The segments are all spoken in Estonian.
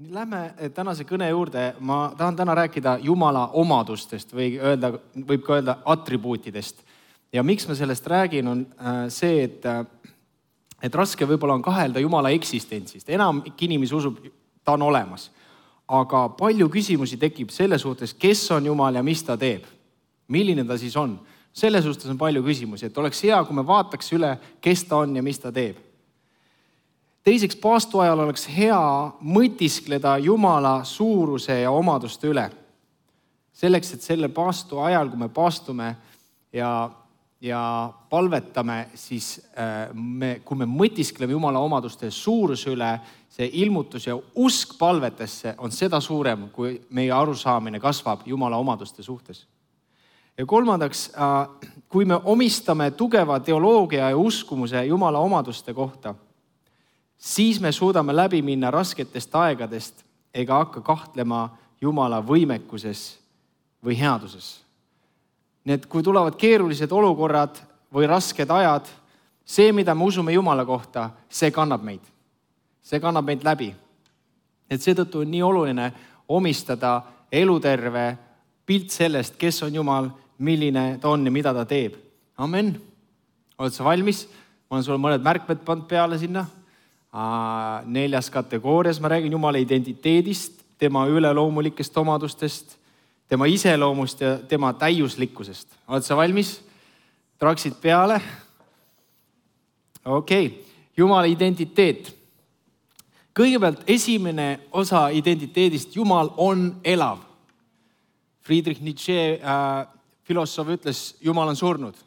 Lähme tänase kõne juurde. Ma tahan täna rääkida Jumala omadustest või võib ka öelda atribuutidest. Ja miks ma sellest räägin, on see, et raske võib-olla on kahelda Jumala eksistentsist. Enamik inimesi usub, ta on olemas. Aga palju küsimusi tekib selle suhtes, kes on Jumal ja mis ta teeb. Milline ta siis on? Selle suhtes on palju küsimusi, et oleks hea, kui me vaataks üle, kes ta on ja mis ta teeb. Teiseks, paastu ajal oleks hea mõtiskleda Jumala suuruse ja omaduste üle. Selleks, et selle paastu ajal, kui me paastume ja palvetame, siis kui me mõtiskleme Jumala omaduste suuruse üle, see ilmutus ja usk palvetesse on seda suurem, kui meie arusaamine kasvab Jumala omaduste suhtes. Ja kolmandaks, kui me omistame tugeva teoloogia ja uskumuse Jumala omaduste kohta, siis me suudame läbi minna rasketest aegadest ega hakka kahtlema Jumala võimekuses või headuses. Nii et kui tulevad keerulised olukorrad või rasked ajad, see, mida me usume Jumala kohta, see kannab meid. See kannab meid läbi. Et seetõttu on nii oluline omistada eluterve pilt sellest, kes on Jumal, milline ta on ja mida ta teeb. Amen. Oled sa valmis? Ma olen sulle mõned märkmed pannud peale sinna. 4. kategoorias ma räägin Jumala identiteedist, tema üleloomulikest omadustest, tema iseloomust ja tema täiuslikkusest. Oled sa valmis? Traksid peale. Okei. Jumala identiteet. Kõigepealt esimene osa identiteedist, Jumal on elav. Friedrich Nietzsche filosoof ütles, Jumal on surnud.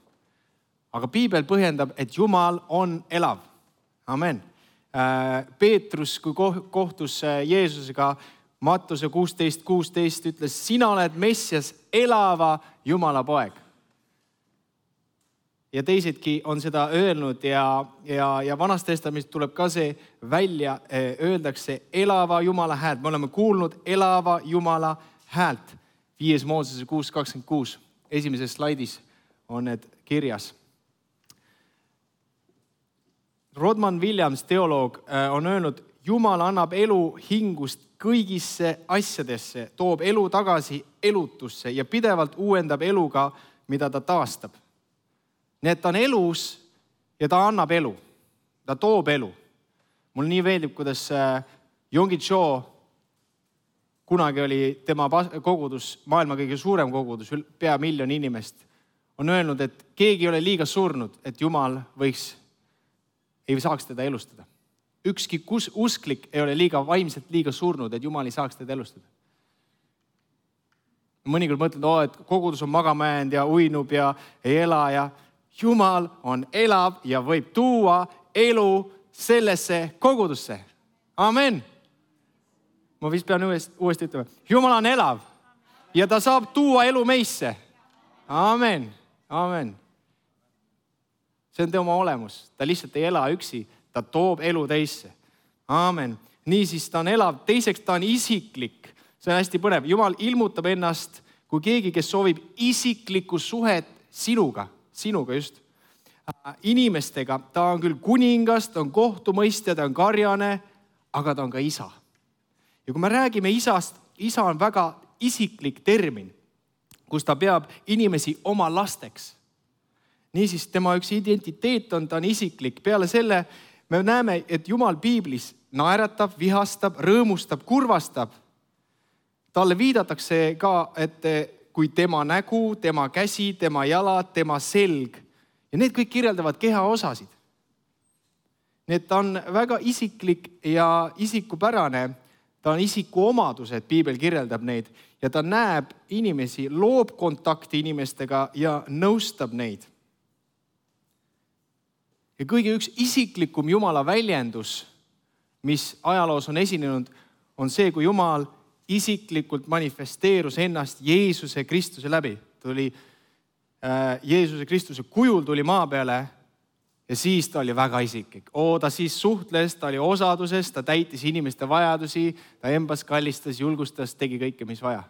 Aga Piibel põhjendab, et Jumal on elav. Amen. Peetrus, kui kohtus Jeesusega, Mattuse 16:16 ütles, sina oled Messias, elava Jumala poeg. Ja teisedki on seda öelnud ja Vanas Testamendis tuleb ka see välja, öeldakse elava Jumala häält. Me oleme kuulnud elava Jumala häält. 5. Moosese 6:26. Esimeses slaidis on need kirjas. Rodman Williams, teoloog, on öelnud, Jumal annab elu hingust kõigisse asjadesse, toob elu tagasi elutusse ja pidevalt uuendab eluga, mida ta taastab. Nii et ta on elus ja ta annab elu. Ta toob elu. Mulle nii meeldib, kuidas Yonggi Cho, kunagi oli tema kogudus, maailma kõige suurem kogudus, pea 1 miljon inimest, on öelnud, et keegi ei ole liiga surnud, et Jumal ei saaks teda elustada. Ükski usklik ei ole vaimselt liiga surnud, et Jumal ei saaks teda elustada. Mõnikord mõtled, et kogudus on magama jäänud ja uinub ja ei ela ja Jumal on elav ja võib tuua elu sellesse kogudusse. Amen. Ma vist pean uuesti ütlema. Jumal on elav ja ta saab tuua elu meisse. Amen. Amen. See on tema olemus. Ta lihtsalt ei ela üksi. Ta toob elu teisse. Amen. Niisiis ta on elav. Teiseks ta on isiklik. See on hästi põnev. Jumal ilmutab ennast kui keegi, kes soovib isiklikku suhet sinuga just. Inimestega. Ta on küll kuningas, ta on kohtumõistja, ta on karjane, aga ta on ka isa. Ja kui me räägime isast, isa on väga isiklik termin, kus ta peab inimesi oma lasteks. Niisiis, tema üks identiteet on, ta on isiklik. Peale selle me näeme, et Jumal Piiblis naeratab, vihastab, rõõmustab, kurvastab. Talle viidatakse ka, et kui tema nägu, tema käsi, tema jalad, tema selg. Ja need kõik kirjeldavad keha osasid. Nii et ta on väga isiklik ja isikupärane. Ta on isiku omadused, Piibel kirjeldab neid. Ja ta näeb inimesi, loob kontakti inimestega ja nõustab neid. Ja kõige üks isiklikum Jumala väljendus, mis ajaloos on esinenud, on see, kui Jumal isiklikult manifesteerus ennast Jeesuse Kristuse läbi. Jeesuse Kristuse kujul tuli maa peale ja siis ta oli väga isiklik. Ta siis suhtles, ta oli osaduses, ta täitis inimeste vajadusi, ta embas, kallistas, julgustas, tegi kõike, mis vaja.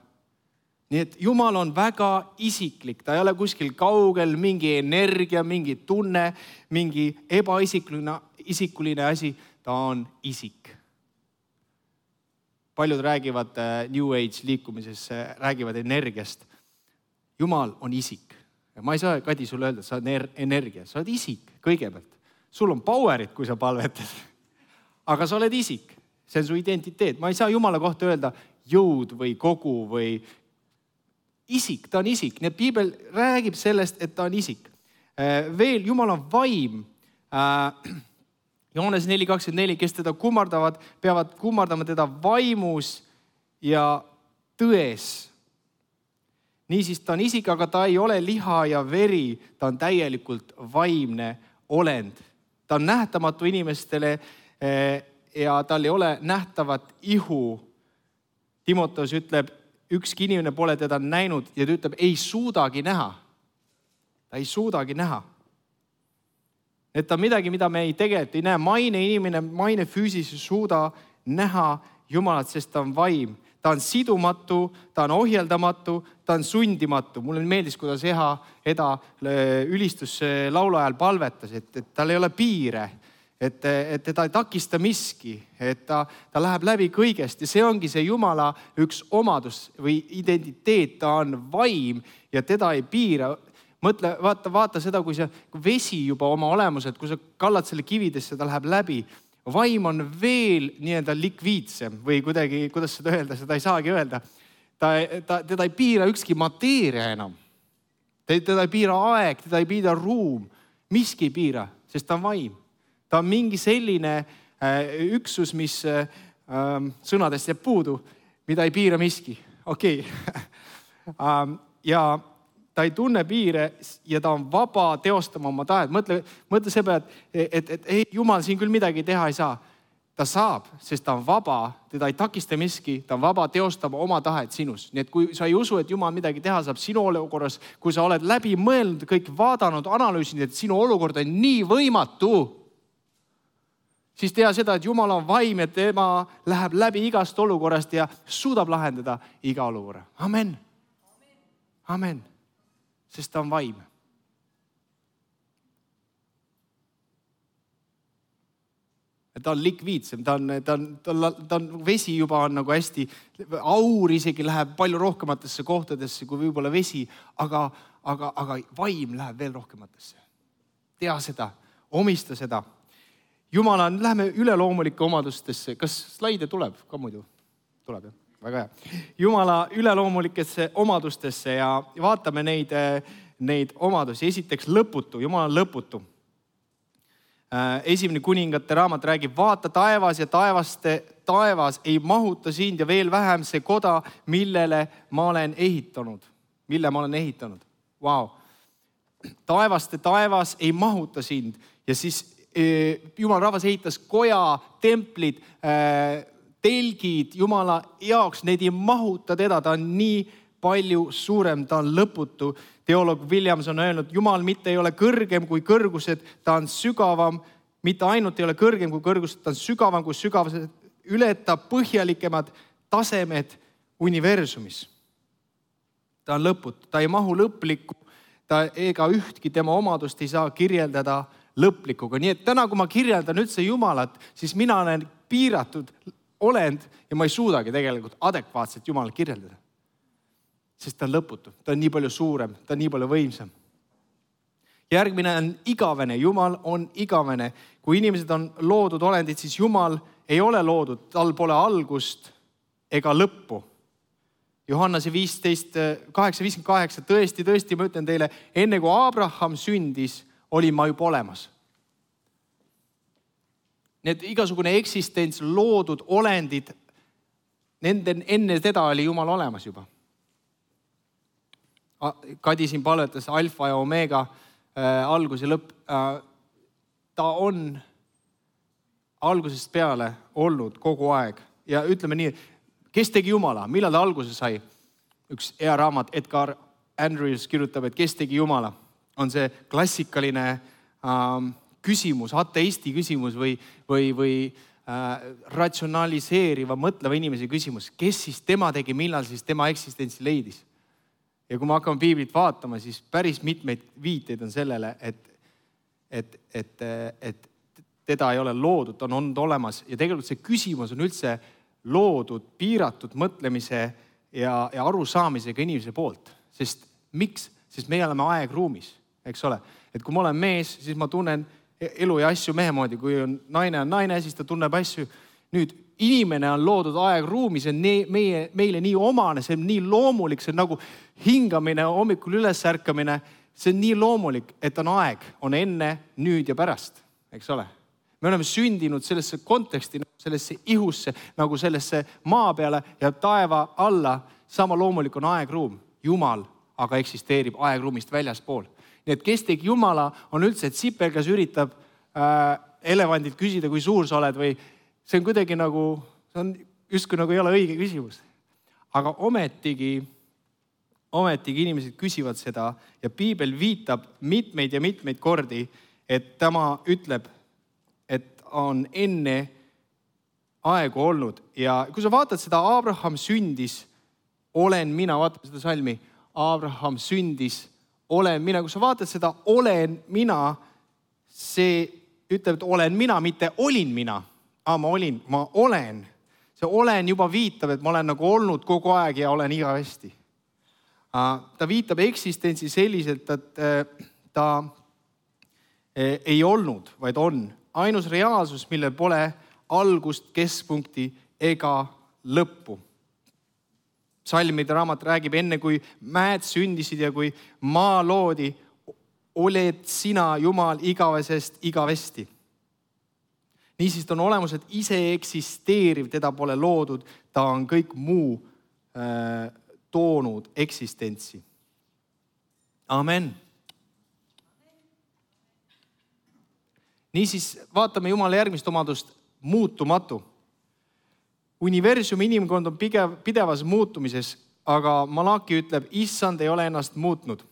Nii et Jumal on väga isiklik, ta ei ole kuskil kaugel, mingi energia, mingi tunne, mingi ebaisikuline asi, ta on isik. paljud räägivad New Age liikumises, räägivad energiast. Jumal on isik. Ma ei saa, Kadi, sulle öelda, sa oled energia. Sa oled isik kõigepealt. Sul on powerit, kui sa palvetad. Aga sa oled isik. See on su identiteet. Ma ei saa Jumala kohta öelda jõud või kogu või isik. Ta on isik. Nii et Piibel räägib sellest, et ta on isik. Veel Jumal on vaim. Johannes 4:24, kes teda kummardavad, peavad kummardama teda vaimus ja tões. Niisiis ta on isik, aga ta ei ole liha ja veri, ta on täielikult vaimne olend. Ta on nähtamatu inimestele ja tal ei ole nähtavat ihu. Timoteus ütleb, ükski inimene pole teda näinud ja ta ütleb, ei suudagi näha. Ta ei suudagi näha. Et ta on midagi, mida me tegelikult ei näe. Maine füüsis ei suuda näha Jumalat, sest ta on vaim. Ta on sidumatu, ta on ohjeldamatu, ta on sundimatu. Mulle meeldis, kuidas Eda ülistus laulu ajal palvetas, et tal ei ole piire, et teda ei takista miski, et ta läheb läbi kõigest ja see ongi see Jumala üks omadus või identiteet, ta on vaim ja teda ei piira. Mõtle, vaata seda, kui vesi juba oma olemuselt, kui sa kallad selle kividesse, ta läheb läbi. Vaim on veel nii-öelda likviidsem või kuidagi, kuidas seda öelda, seda ei saagi öelda. Teda ei piira ükski mateeria enam. Teda ei piira aeg, teda ei piira ruum. Miski ei piira, sest ta on vaim. Ta on mingi selline üksus, mis sõnadest jääb puudu, mida ei piira miski. Okei. Ja ta ei tunne piire ja ta on vaba teostama oma tahet. Mõtle see peale, et ei, Jumal siin küll midagi teha ei saa. Ta saab, sest ta on vaba, teda ei takista miski, ta on vaba teostama oma tahet sinus. Nii et kui sa ei usu, et Jumal midagi teha saab sinu olukorras, kui sa oled läbi mõelnud, kõik vaadanud, analüüsinud, et sinu olukord on nii võimatu, siis tea seda, et Jumal on vaim ja tema läheb läbi igast olukorrast ja suudab lahendada iga olukorra. Amen. Amen. Sest ta on vaim. Ta on likviidsem, ta on vesi juba on nagu hästi, aur isegi läheb palju rohkematesse kohtadesse kui võib-olla vesi, aga vaim läheb veel rohkematesse. Tea seda, omista seda. Jumala on, läheme üleloomulike omadustesse. Kas slaide tuleb ka muidu? Tuleb, jah? Väga hea. Jumala üleloomulikesse omadustesse ja vaatame neid omadusi. Esiteks lõputu, Jumal on lõputu. Esimene kuningate raamat räägib, vaata taevas ja taevas ei mahuta sind ja veel vähem see koda, mille ma olen ehitanud. Vau. Taevas ei mahuta sind ja siis Jumal rahvas ehitas koja, templid, telgid Jumala jaoks, neid ei mahuta teda, ta on nii palju suurem, ta on lõputu. Teoloog Williams on öelnud, Jumal mitte ei ole kõrgem kui kõrgused, ta on sügavam, mitte ainult ei ole kõrgem kui kõrgused, ta on sügavam kui sügavused, ületab põhjalikemad tasemed universumis. Ta on lõputu, ta ei mahu lõplikku, ta ega ühtki tema omadust ei saa kirjeldada lõplikuga. Nii et täna, kui ma kirjeldan üldse Jumalat, siis mina olen piiratud olend ja ma ei suudagi tegelikult adekvaatselt Jumalat kirjeldada. Sest ta on lõputu, ta on nii palju suurem, ta on nii palju võimsam. Järgmine on igavene, Jumal on igavene. Kui inimesed on loodud olendid, siis Jumal ei ole loodud, tal pole algust ega lõppu. Johannese 8:58, tõesti, ma ütlen teile, enne kui Abraham sündis, olin ma juba olemas. Need igasugune eksistents, loodud olendid, enne teda oli Jumal olemas juba. Kadi siin palvetas alfa ja omega, algus ja lõpp. Ta on algusest peale olnud kogu aeg. Ja ütleme nii, kes tegi Jumala? Millal ta alguse sai? Üks hea raamat, Edgar Andrews kirjutab, et kes tegi Jumala? On see klassikaline küsimus, ateisti küsimus või ratsionaliseeriva, mõtleva inimese küsimus. Kes siis tema tegi, millal siis tema eksistentsi leidis? Ja kui me hakkame piiblit vaatama, siis päris mitmeid viiteid on sellele, et teda ei ole loodud, ta on olnud olemas. Ja tegelikult see küsimus on üldse loodud piiratud mõtlemise ja arusaamisega inimese poolt. Sest miks? Sest meie oleme aegruumis, eks ole. Et kui ma olen mees, siis ma tunnen elu ja asju mehe moodi. Kui on naine, siis ta tunneb asju. Nüüd inimene on loodud aegruumis, see on meile nii omane, see on nii loomulik, see on nagu hingamine, hommikul ülesärkamine. See on nii loomulik, et on aeg, on enne, nüüd ja pärast, eks ole. Me oleme sündinud sellesse konteksti, sellesse ihusse, nagu sellesse maa peale ja taeva alla. Sama loomulik on aegruum. Jumal aga eksisteerib aegruumist väljaspool. Nii et kes tegi Jumala on üldse, et sipel, kes üritab elevandilt küsida, kui suur sa oled või see on kuidagi nagu, see on justkui nagu ei ole õige küsimus. Aga ometigi inimesed küsivad seda ja piibel viitab mitmeid ja mitmeid kordi, et tema ütleb, et on enne aegu olnud. Ja kui sa vaatad seda, Abraham sündis, olen mina, vaatame seda salmi, Abraham sündis, olen mina. Kui sa vaatad seda, olen mina, see ütleb, et olen mina, mitte olin mina. Ma olen. See olen juba viitab, et ma olen nagu olnud kogu aeg ja olen igavesti. Ta viitab eksistentsi selliselt, et ta ei olnud, vaid on. Ainus reaalsus, millel pole algust, keskpunkti ega lõppu. Salmide raamat räägib, enne kui mäed sündisid ja kui maa loodi, oled sina, Jumal, igavesest igavesti. Niisiis on olemus, et ise eksisteeriv, teda pole loodud, ta on kõik muu toonud eksistentsi. Amen. Niisiis vaatame Jumala järgmist omadust, muutumatu. Universumi inimkond on pidevas muutumises, aga Malaki ütleb, issand ei ole ennast muutnud.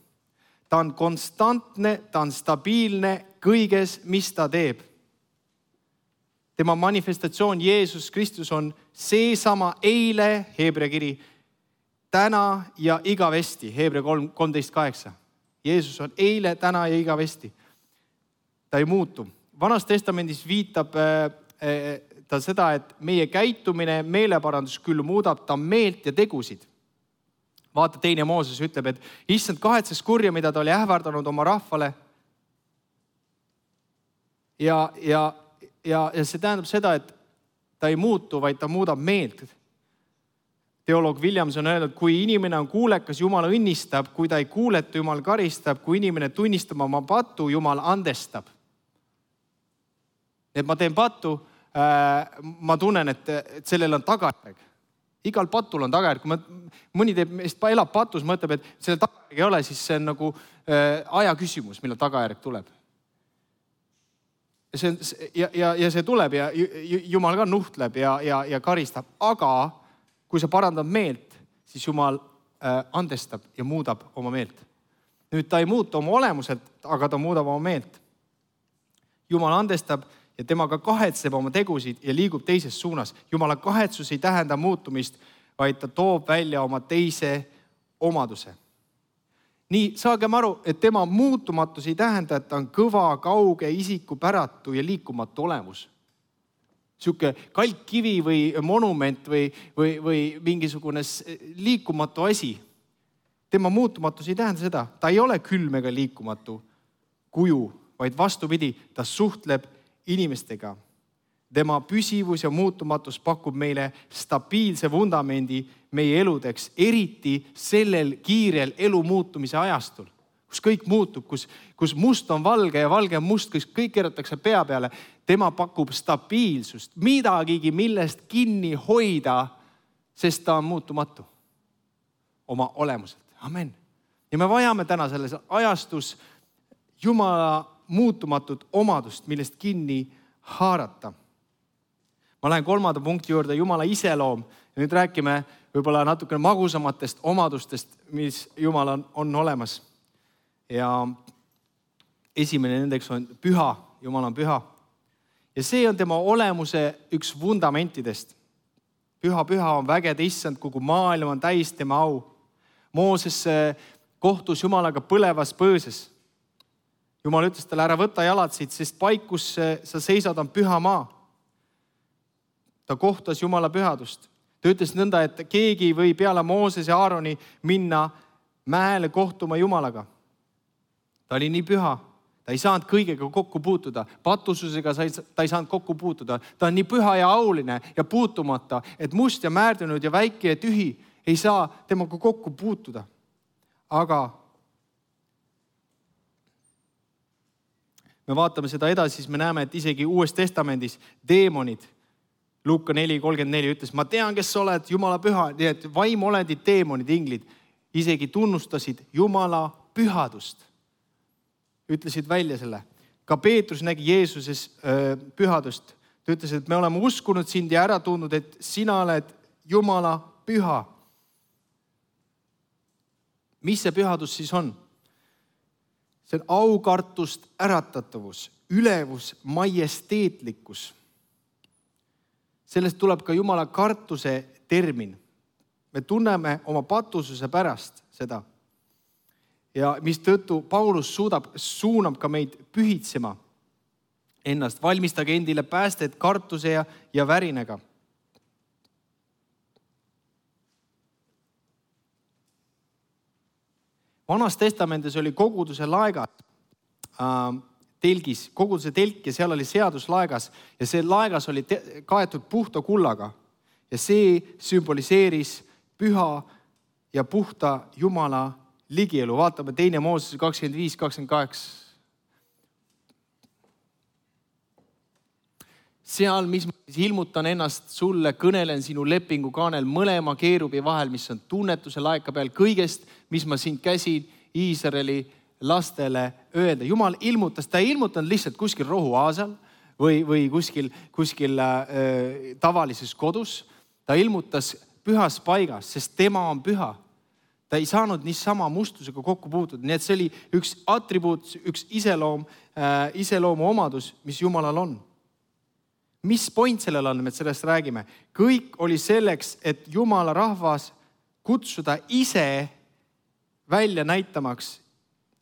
Ta on konstantne, ta on stabiilne kõiges, mis ta teeb. Tema manifestatsioon Jeesus Kristus on seesama eile, Heebrea kiri, täna ja igavesti, Heebrea 13:8. Jeesus on eile, täna ja igavesti. Ta ei muutu. Vanas testamendis viitab ta seda, et meie käitumine, meeleparandus küll muudab ta meelt ja tegusid. Vaata, 2. Mooses ütleb, et issand kahetses kurja, mida ta oli ähvardanud oma rahvale. Ja see tähendab seda, et ta ei muutu, vaid ta muudab meelt. Teoloog Williams on öelnud, kui inimene on kuulekas, Jumal õnnistab, kui ta ei kuuleta, Jumal karistab, kui inimene tunnistab oma pattu, Jumal andestab. Et ma teen pattu, ma tunnen, et sellel on tagajärg. Igal patul on tagajärg. Kui mõni elab patus, mõtleb, et sellel tagajärg ei ole, siis see on nagu aja küsimus, millal tagajärg tuleb. Ja see tuleb ja Jumal ka nuhtleb ja karistab. Aga kui sa parandad meelt, siis Jumal andestab ja muudab oma meelt. Nüüd ta ei muuta oma olemuselt, aga ta muudab oma meelt. Jumal andestab ja temaga kahetseb oma tegusid ja liigub teises suunas. Jumala kahetsus ei tähenda muutumist, vaid ta toob välja oma teise omaduse. Nii saagem aru, et tema muutumatus ei tähenda, et ta on kõva, kauge, isikupäratu ja liikumatu olemus. Siuke kalkkivi või monument või mingisugune liikumatu asi. Tema muutumatus ei tähenda seda. Ta ei ole külm ega liikumatu kuju, vaid vastupidi, ta suhtleb inimestega. Tema püsivus ja muutumatus pakub meile stabiilse vundamendi meie eludeks, eriti sellel kiirel elu muutumise ajastul, kus kõik muutub, kus must on valge ja valge on must, kus kõik keeratakse pea peale. Tema pakub stabiilsust, midagigi, millest kinni hoida, sest ta on muutumatu oma olemuselt. Amen. Ja me vajame täna selles ajastus Jumala muutumatut omadust, millest kinni haarata. Ma lähen 3. punkti juurde, Jumala iseloom. Ja nüüd räägime võib-olla natukene magusamatest omadustest, mis Jumal on olemas. Ja esimene nendeks on püha. Jumal on püha. Ja see on tema olemuse üks fundamentidest. Püha on vägede issand, kogu maailm on täis tema au. Mooses kohtus Jumalaga põlevas põõses. Jumal ütles talle, ära võta jalad siit, sest paik, kus sa seisad, on püha maa. ta kohtas Jumala pühadust. Ta ütles nõnda, et keegi ei või peale Mooses ja Aaroni minna mäele kohtuma Jumalaga. Ta oli nii püha, ta ei saanud kõigega kokku puutuda, patususega ta ei saanud kokku puutuda. Ta on nii püha ja auline ja puutumata, et must ja määrdunud ja väike ja tühi ei saa temaga kokku puutuda. Aga me vaatame seda edasi, siis me näeme, et isegi Uues Testamendis deemonid, Luuka 4:34 ütles, ma tean, kes sa oled, Jumala püha, nii et vaimolendid, deemonid, inglid isegi tunnustasid Jumala pühadust. Ütlesid välja selle. Ka Peetrus nägi Jeesuses pühadust. Ta ütles, et me oleme uskunud sind ja ära tundnud, et sina oled Jumala püha. Mis see pühadus siis on? See on aukartust äratatavus, ülevus, majesteetlikkus. Sellest tuleb ka Jumala kartuse termin. Me tunneme oma patususe pärast seda. Ja mistõttu Paulus suunab ka meid pühitsema ennast. Valmistage endile päästet kartuse ja värinega. Vanas testamendis oli koguduse laegas telgis, koguduse telk ja seal oli seaduslaegas ja see laegas oli kaetud puhta kullaga ja see sümboliseeris püha ja puhta Jumala ligielu. Vaatame 2. Mooses 25-28. Seal, mis ma ilmutan ennast sulle, kõnelen sinu lepingu kaanel mõlema keerubi vahel, mis on tunnetuse laeka peal kõigest, mis ma sind käsin Iisraeli lastele öelda. Jumal ilmutas, ta ei ilmutanud lihtsalt kuskil rohuaasal või kuskil tavalises kodus. Ta ilmutas pühas paigas, sest tema on püha. Ta ei saanud niisama mustusega kokku puutuda. Nii et see oli üks atribuut, üks iseloomu omadus, mis Jumalal on. Mis point sellel on, me sellest räägime? Kõik oli selleks, et Jumala rahvas kutsuda ise välja näitamaks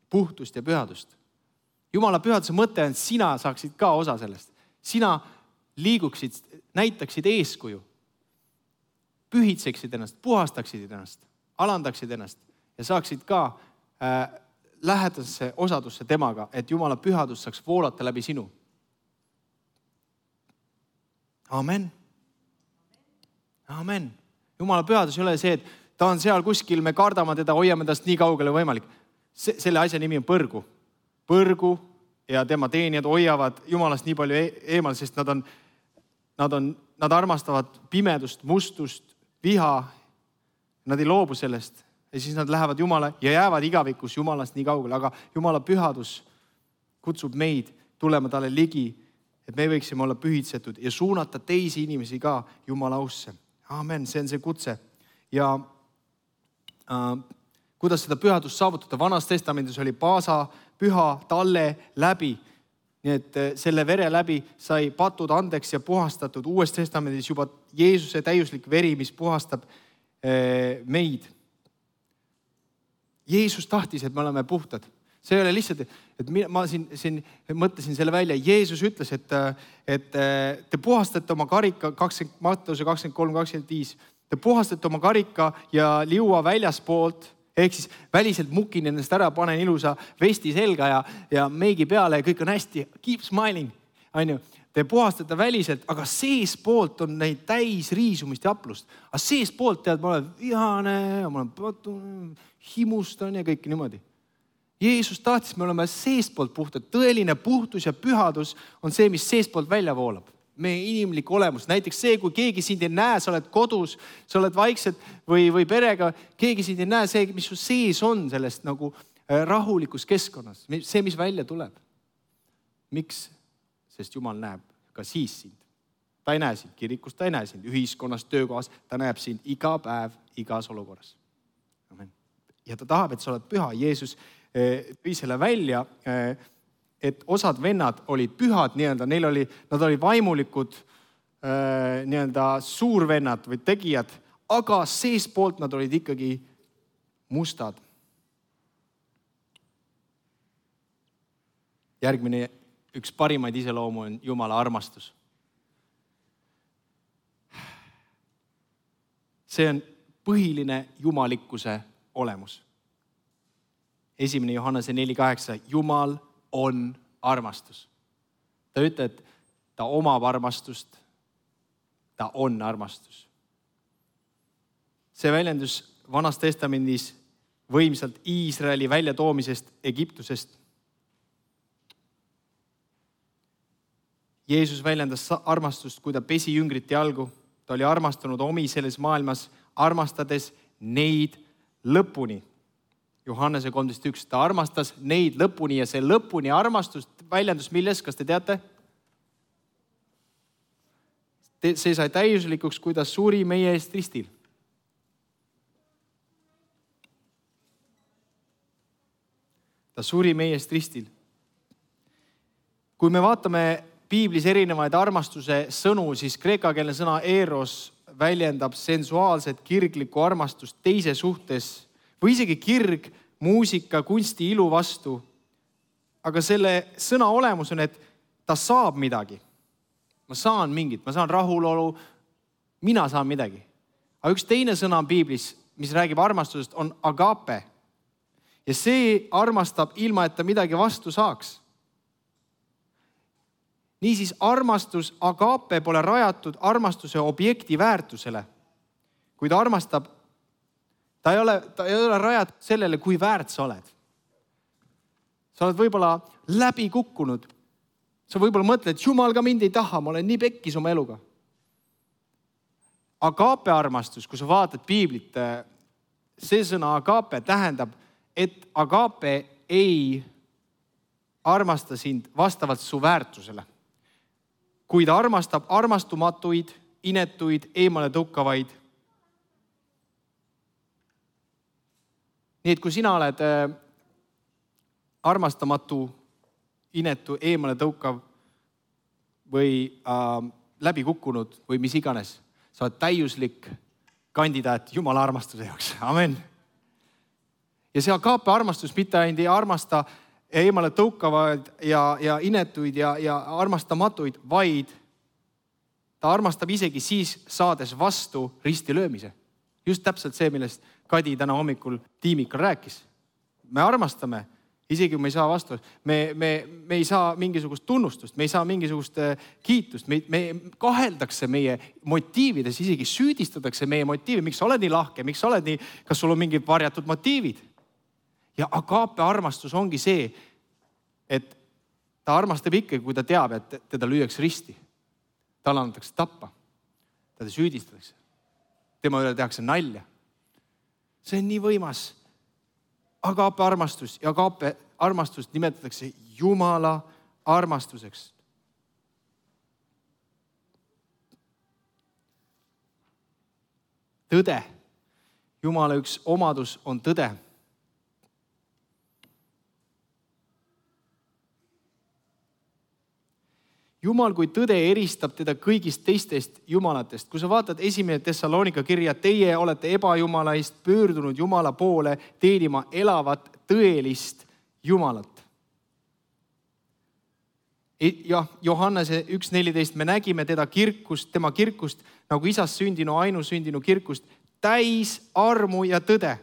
puhtust ja pühadust. Jumala pühaduse mõte on, et sina saaksid ka osa sellest. Sina liiguksid, näitaksid eeskuju. Pühitseksid ennast, puhastaksid ennast, alandaksid ennast ja saaksid ka lähedasse osadusse temaga, et Jumala pühadus saaks voolata läbi sinu. Amen. Amen. Jumala pühadus ei ole see, et ta on seal kuskil, me kardame teda, hoiame tast nii kaugele võimalik. Selle asja nimi on põrgu. Põrgu ja tema teenijad hoiavad Jumalast nii palju eemal, sest nad armastavad pimedust, mustust, viha. Nad ei loobu sellest ja siis nad lähevad Jumala ja jäävad igavikus Jumalast nii kaugele. Aga Jumala pühadus kutsub meid tulema talle ligi, et me võiksime olla pühitsetud ja suunata teisi inimesi ka Jumala ausse. Amen, see on see kutse. Ja kuidas seda pühadust saavutada? Vanas testamendis oli Paasa püha talle läbi. Nii et selle vere läbi sai patud andeks ja puhastatud. Uues testamendis juba Jeesuse täiuslik veri, mis puhastab meid. Jeesus tahtis, et me oleme puhtad. See ei ole lihtsalt, et ma siin mõtlesin selle välja. Jeesus ütles, et te puhastate oma karika, Matteuse 23-25, te puhastate oma karika ja liua väljaspoolt, ehk siis väliselt mukin ennast ära, panen ilusa vesti selga ja meigi peale ja kõik on hästi, keep smiling, on ju. Te puhastate väliselt, aga seespoolt on neid täis riisumist ja aplust. Aga seespoolt tead, ma olen vihane, ma olen patune, himustan ja kõik niimoodi. Jeesus tahtis, me oleme seespoolt puhtad. Tõeline puhtus ja pühadus on see, mis seespoolt välja voolab. Meie inimlik olemus. Näiteks see, kui keegi sind ei näe, sa oled kodus, sa oled vaikselt või perega, keegi sind ei näe, see, mis su sees on sellest nagu rahulikus keskkonnas. See, mis välja tuleb. Miks? Sest Jumal näeb ka siis sind. Ta ei näe sind kirikus, ta ei näe sind ühiskonnas, töökohas, ta näeb sind iga päev, igas olukorras. Amen. Ja ta tahab, et sa oled püha. Jeesus tõi selle välja, et osad vennad olid pühad, nad olid vaimulikud suurvennad või tegijad, aga seespoolt nad olid ikkagi mustad. Järgmine üks parimaid iseloomu on Jumala armastus. See on põhiline jumalikkuse olemus. 1. Johannese 4:8, Jumal on armastus. Ta ütleb, et ta omab armastust, ta on armastus. See väljendus Vanas Testamendis võimsalt Iisraeli väljatoomisest Egiptusest. Jeesus väljendas armastust, kui ta pesi jüngrite jalgu. Ta oli armastanud omi selles maailmas, armastades neid lõpuni. Johannese 13:1, ta armastas neid lõpuni ja see lõpuni armastus väljendus milles, kas te teate? See sai täiuslikuks, kui ta suri meie eest ristil. Ta suri meie eest ristil. Kui me vaatame Piiblis erinevaid armastuse sõnu, siis kreekakeelne sõna eros väljendab sensuaalset kirglikku armastust teise suhtes või isegi kirg muusika, kunsti, ilu vastu. Aga selle sõna olemus on, et ta saab midagi. Ma saan mingit, ma saan rahulolu, mina saan midagi. Aga üks teine sõna on Piiblis, mis räägib armastusest, on agape. Ja see armastab ilma, et ta midagi vastu saaks. Niisiis armastus, agape pole rajatud armastuse objekti väärtusele. Kui ta armastab, ta ei ole rajatud sellele, kui väärt sa oled. Sa oled võib-olla läbi kukkunud. Sa võib-olla mõtled, et Jumal ka mind ei taha, ma olen nii pekkis oma eluga. Agape armastus, kui sa vaatad Piiblit, see sõna agape tähendab, et agape ei armasta sind vastavalt su väärtusele. Kui ta armastab armastumatuid, inetuid, eemale tõukavaid. Nii et kui sina oled armastamatu, inetu, eemale tõukav või läbi kukkunud või mis iganes, sa oled täiuslik kandidaat Jumala armastuse jaoks. Amen. Ja see agape armastus mitte ainult ei armasta eemale tõukavaid ja inetuid ja armastamatuid, vaid ta armastab isegi siis saades vastu ristilöömise. Just täpselt see, millest Kadi täna hommikul tiimikal rääkis. Me armastame, isegi kui me ei saa vastu. Me ei saa mingisugust tunnustust, me ei saa mingisugust kiitust. Me kaheldakse meie motiivides, isegi süüdistatakse meie motiivi. Miks sa oled nii lahke, miks sa oled nii, kas sul on mingid varjatud motiivid? Ja agape armastus ongi see, et ta armastab ikkagi, kui ta teab, et teda lüüakse risti. Tal antakse tappa. Teda süüdistatakse. Tema üle tehakse nalja. See on nii võimas. Agape armastus ja agape armastust nimetatakse Jumala armastuseks. Tõde. Jumala üks omadus on tõde. Jumal kui tõde eristab teda kõigist teistest jumalatest. Kui sa vaatad 1. Thessalonika kirja, teie olete ebajumalaist pöördunud Jumala poole teenima elavat tõelist Jumalat. Ja Johannese 1.14 me nägime tema kirkust nagu isast sündinu, ainusündinu kirkust täis armu ja tõde.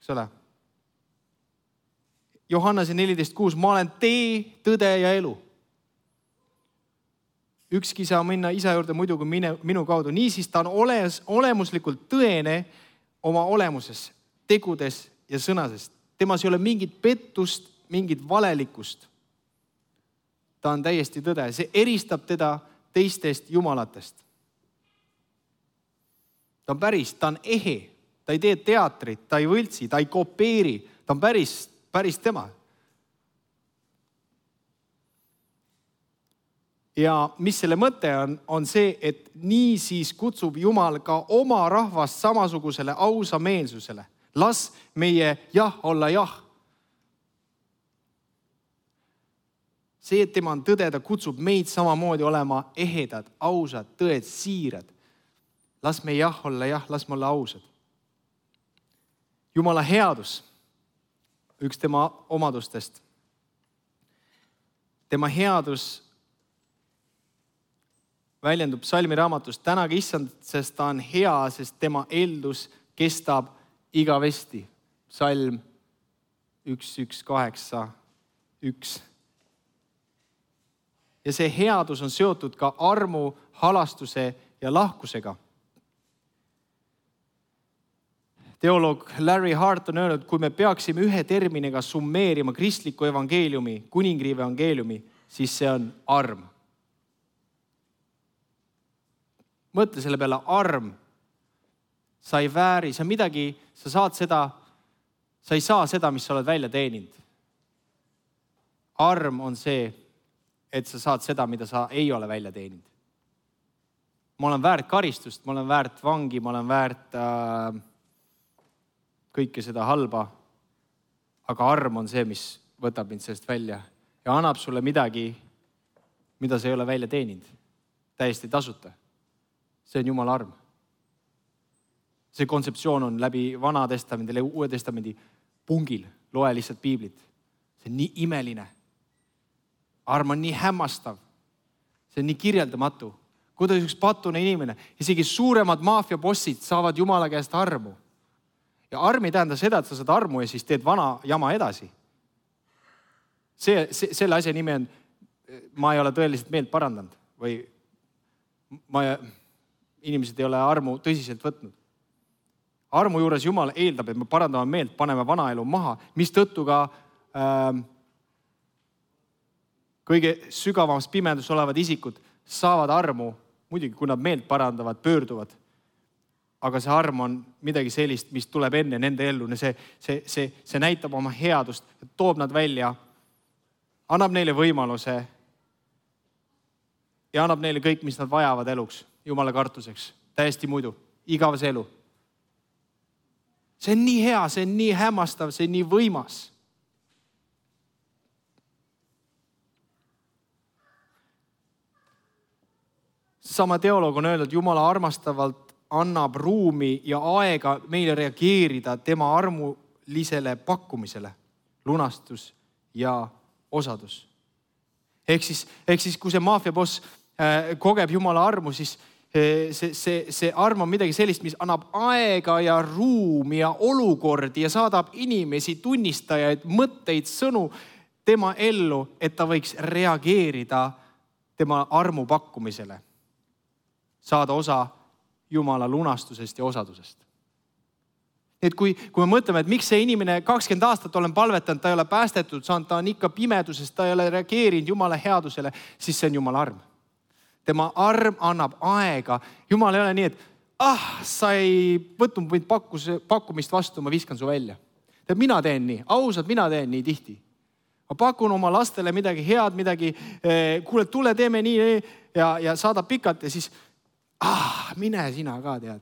Eks ole? Johannese 14.6, ma olen tee, tõde ja elu. Ükski saa minna isa juurde muidu kui minu kaudu. Niisiis ta on olemuslikult tõene oma olemuses, tegudes ja sõnasest. Temas ei ole mingit pettust, mingit valelikkust. Ta on täiesti tõde. See eristab teda teistest jumalatest. Ta on päris, ta on ehe. Ta ei tee teatrit, ta ei võltsi, ta ei kopeeri. Ta on päris tema. Ja mis selle mõte on see, et nii siis kutsub Jumal ka oma rahvast samasugusele ausa meelsusele. Las meie jah olla jah. See, et tema on tõde, ta kutsub meid samamoodi olema ehedad, ausad, tõed, siirad. Las me jah olla jah, las me olla ausad. Jumala headus, üks tema omadustest. Tema headus väljendub psalmi raamatus: tänage issand, sest ta on hea, sest tema eeldus kestab igavesti. Psalm 118:1. Ja see headus on seotud ka armu, halastuse ja lahkusega. Teoloog Larry Hart on öelnud, kui me peaksime ühe terminiga summeerima kristliku evangeeliumi, kuningriigi evangeeliumi, siis see on arm. Mõtle selle peale, arm. Sa ei vääri, sa midagi, sa ei saa seda, mis sa oled välja teeninud. Arm on see, et sa saad seda, mida sa ei ole välja teeninud. Ma olen väärt karistust, ma olen väärt vangi, ma olen väärt kõike seda halba, aga arm on see, mis võtab mind sellest välja ja annab sulle midagi, mida sa ei ole välja teeninud. Täiesti tasuta. See on Jumala arm. See kontseptsioon on läbi Vana Testamendi ja Uue Testamendi pungil. Loe lihtsalt piiblit. See on nii imeline. Arm on nii hämmastav. See on nii kirjeldamatu. Kuidas üks patune inimene, isegi suuremad maffiabossid saavad Jumala käest armu. Ja arm ei tähenda seda, et sa saad armu ja siis teed vana jama edasi. Selle asja nimi on, ma ei ole tõeliselt meelt parandanud või inimesed ei ole armu tõsiselt võtnud. Armu juures Jumal eeldab, et me parandame meelt, paneme vana elu maha, mis tõttu ka kõige sügavamas pimedus olevad isikud saavad armu, muidugi kui nad meelt parandavad, pöörduvad. Aga see arm on midagi sellist, mis tuleb enne nende ellu. See näitab oma headust, toob nad välja, annab neile võimaluse ja annab neile kõik, mis nad vajavad eluks, Jumala kartuseks, täiesti muidu, igavese elu. See on nii hea, see on nii hämmastav, see on nii võimas. Sama teoloog on öeldud, Jumala armastavalt annab ruumi ja aega meile reageerida tema armulisele pakkumisele, lunastus ja osadus. Ehk siis kui see maffiaboss kogeb Jumala armu, siis see arm on midagi sellist, mis annab aega ja ruumi ja olukordi ja saadab inimesi, tunnistajaid, mõtteid, sõnu tema ellu, et ta võiks reageerida tema armu pakkumisele. Saada osa Jumala lunastusest ja osadusest. Et kui me mõtleme, et miks see inimene 20 aastat olen palvetanud, ta ei ole päästetud saanud, ta on ikka pimedusest, ta ei ole reageerinud Jumala headusele, siis see on Jumala arm. Tema arm annab aega. Jumal ei ole nii, et sa ei võtnud mind pakkumist vastu, ma viskan su välja. Mina teen nii, ausalt, mina teen nii tihti. Ma pakun oma lastele midagi head, midagi, kuule, tule, teeme nii ja saadab pikalt ja siis mine sina ka, tead.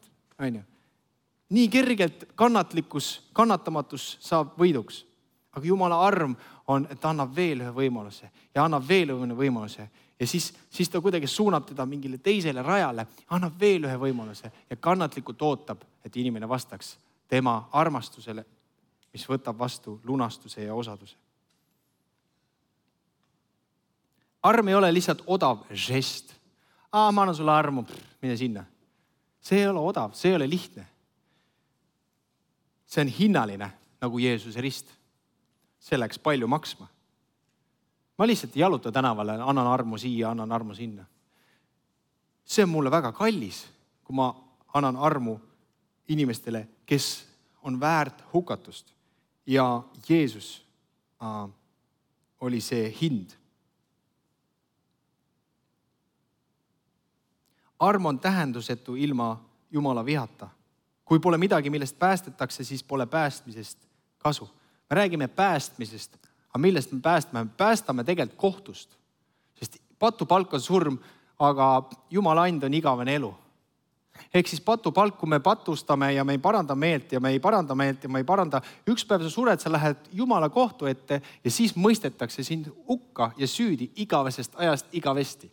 Nii kergelt kannatamatus saab võiduks. Aga Jumala arm on, et ta annab veel ühe võimaluse ja annab veel ühe võimaluse. Ja siis ta kuidagi suunab teda mingile teisele rajale, annab veel ühe võimaluse ja kannatlikult ootab, et inimene vastaks tema armastusele, mis võtab vastu lunastuse ja osaduse. Arm ei ole lihtsalt odav žest. Ma annan sulle armu, mine sinna. See ei ole odav, see ei ole lihtne. See on hinnaline, nagu Jeesuse rist. See läks palju maksma. Ma lihtsalt ei jaluta tänavale, annan armu siia, annan armu sinna. See on mulle väga kallis, kui ma annan armu inimestele, kes on väärt hukatust. Ja Jeesus oli see hind. Arm on tähendusetu ilma Jumala vihata. Kui pole midagi, millest päästetakse, siis pole päästmisest kasu. Me räägime päästmisest, aga millest me päästame? Me päästame tegelikult kohtust. Sest patupalk on surm, aga Jumala and on igavene elu. Ehk siis patupalk, kui me patustame ja me ei paranda meelt ja me ei paranda. Üks päev sa sured, sa lähed Jumala kohtu ette ja siis mõistetakse sind hukka ja süüdi igavesest ajast igavesti.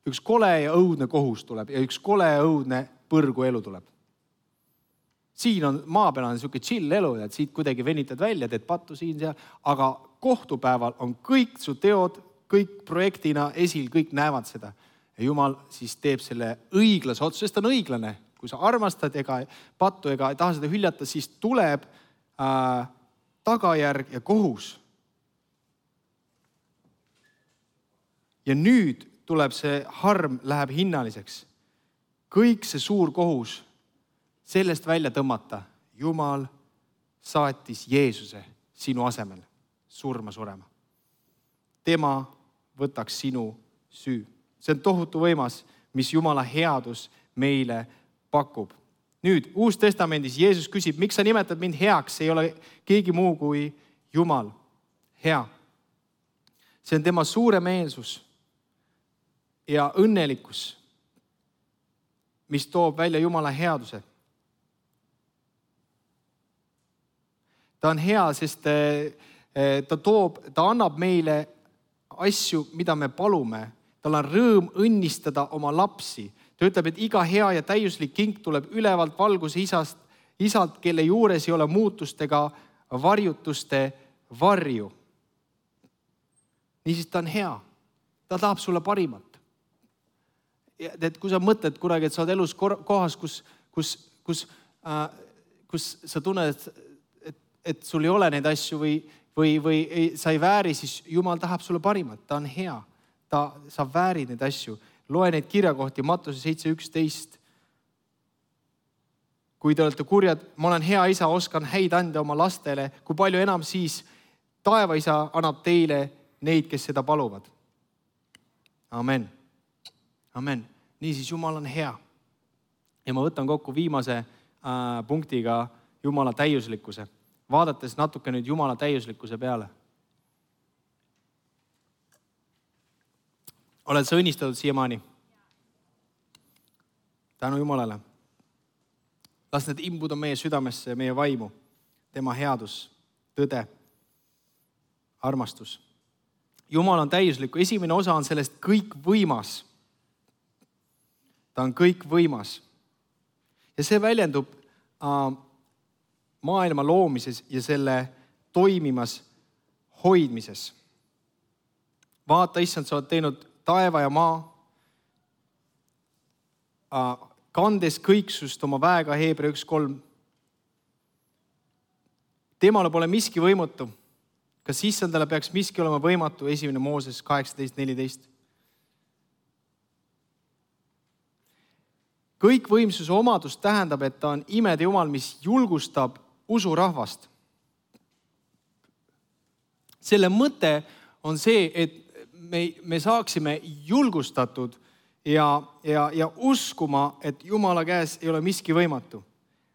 Üks kole ja õudne kohus tuleb ja üks kole ja õudne põrgu elu tuleb. Siin on maa peal on niisugune chill elu, et siit kuidagi venitad välja, teed pattu siin seal, aga kohtupäeval on kõik su teod, kõik projektina esil, kõik näevad seda. ja Jumal siis teeb selle õiglase otsuse, sest ta on õiglane. Kui sa armastad ega pattu ega ei taha seda hüljata, siis tuleb tagajärg ja kohus. Ja nüüd tuleb see harm, läheb hinnaliseks. Kõik see suur kohus sellest välja tõmmata. Jumal saatis Jeesuse sinu asemel surma surema. Tema võtaks sinu süü. See on tohutu võimas, mis Jumala headus meile pakub. Nüüd, Uus Testamendis Jeesus küsib, miks sa nimetad mind heaks? Ei ole keegi muu kui Jumal hea. See on tema suuremeelsus ja õnnelikkus, mis toob välja Jumala headuse. Ta on hea, sest ta annab meile asju, mida me palume. Tal on rõõm õnnistada oma lapsi. Ta ütleb, et iga hea ja täiuslik kink tuleb ülevalt valguse isalt, kelle juures ei ole muutustega varjutuste varju. Niisiis ta on hea. Ta tahab sulle parimat. Et kui sa mõtled kunagi, et sa oled elus kohas, kus sa tunned, et sul ei ole neid asju või sa ei vääri, siis Jumal tahab sulle parimat. Ta on hea. Sa väärid neid asju. Loe neid kirjakohti, Mattuse 7:11. Kui te olete kurjad, ma olen hea isa, oskan häid anda oma lastele, kui palju enam siis taeva isa annab teile neid, kes seda paluvad. Amen. Amen. Niisiis, Jumal on hea. Ja ma võtan kokku viimase punktiga Jumala täiuslikkuse. Vaadates natuke nüüd Jumala täiuslikkuse peale. Oled sa õnnistatud siiamaani? Tänu Jumalale. Las need imbuda meie südamesse ja meie vaimu. Tema headus, tõde, armastus. Jumal on täiuslikku. Esimene osa on sellest kõik võimas. Ta on kõik võimas. Ja see väljendub maailma loomises ja selle toimimas hoidmises. Vaata, issand, sa oled teinud taeva ja maa, kandes kõiksust oma väega, Hebra 1:3. Temale pole miski võimatu. Kas issandale peaks miski olema võimatu? 1. Mooses 18:14. Kõik võimsuse omadus tähendab, et ta on imede Jumal, mis julgustab usurahvast. Selle mõte on see, et me saaksime julgustatud ja uskuma, et Jumala käes ei ole miski võimatu.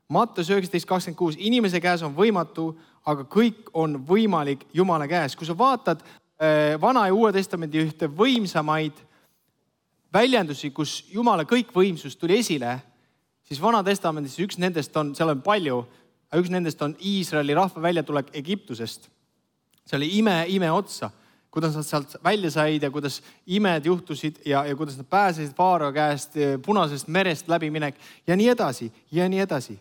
Mattuse 19:26. Inimese käes on võimatu, aga kõik on võimalik Jumala käes. Kui sa vaatad Vana ja Uue Testamendi ühte võimsamaid väljendusi, kus Jumala kõikvõimsus tuli esile, siis Vana Testamendis üks nendest on, seal on palju, üks nendest on Iisraeli rahva väljatulek Egiptusest. See oli ime otsa, kuidas nad sealt välja said ja kuidas imed juhtusid ja kuidas nad pääsesid Faarao käest, Punasest merest läbiminek ja nii edasi ja nii edasi.